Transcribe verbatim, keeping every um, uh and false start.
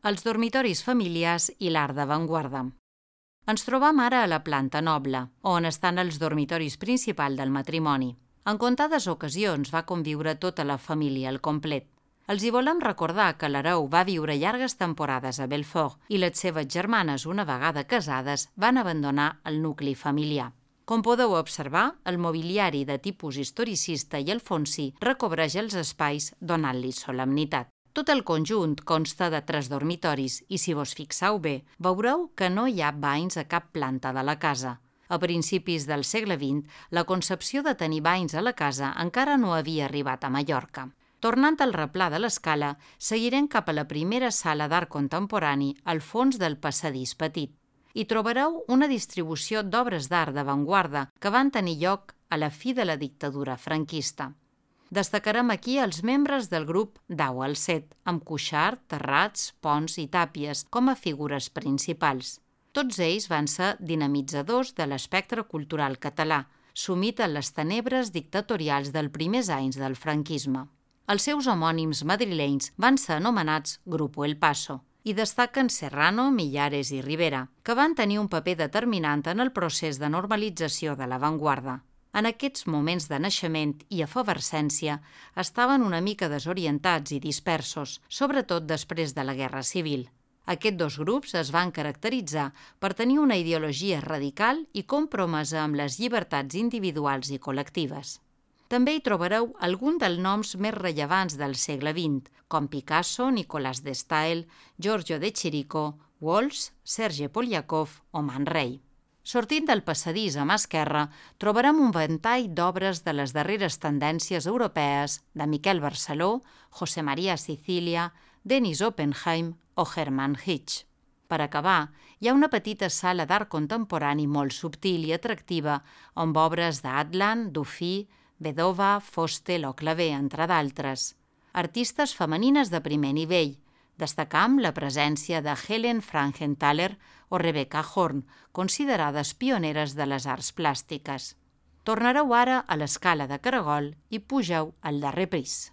Els dormitoris familiars i l'art d'avantguarda. Ens trobam ara a la planta noble, on estan els dormitoris principals del matrimoni. En comptades ocasions va conviure tota la família al complet. Els hi volem recordar que l'hereu va viure llargues temporades a Belfort i les seves germanes, una vegada casades, van abandonar el nucli familiar. Com podeu observar, el mobiliari de tipus historicista i alfonsí recobreix els espais donant-li solemnitat. Tot el conjunt consta de tres dormitoris i, si vos fixeu bé, veureu que no hi ha banys a cap planta de la casa. A principis del segle vint, la concepció de tenir banys a la casa encara no havia arribat a Mallorca. Tornant al replà de l'escala, seguirem cap a la primera sala d'art contemporani al fons del passadís petit. Hi trobareu una distribució d'obres d'art d'avantguarda que van tenir lloc a la fi de la dictadura franquista. Destacarem aquí els membres del grup Dau al Set, amb Cuixart, Terrats, Pons i Tàpies com a figures principals. Tots ells van ser dinamitzadors de l'espectre cultural català, sumit en les tenebres dictatorials dels primers anys del franquisme. Els seus homònims madrilenys van ser anomenats Grupo El Paso i destaquen Serrano, Millares i Rivera, que van tenir un paper determinant en el procés de normalització de l'avantguarda. En aquests moments de naixement i efervescència estaven una mica desorientats i dispersos, sobretot després de la Guerra Civil. Aquests dos grups es van caracteritzar per tenir una ideologia radical i compromesa amb les llibertats individuals i col·lectives. També hi trobareu algun dels noms més rellevants del segle vint, com Picasso, Nicolas de Staël, Giorgio de Chirico, Walsh, Serge Poliakov o Man Ray. Sortint del passadís a mà esquerra, trobarem un ventall d'obres de les darreres tendències europees de Miquel Barceló, José María Sicilia, Denis Oppenheim o Hermann Hitch. Per acabar, hi ha una petita sala d'art contemporani molt subtil i atractiva, amb obres d'Atlan, Dufy, Bedova, Fostel o Clavé, entre d'altres. Artistes femenines de primer nivell. Destacam la presència de Helen Frankenthaler o Rebecca Horn, considerades pioneres de les arts plàstiques. Tornareu ara a l'escala de caragol i pugeu al darrer pis.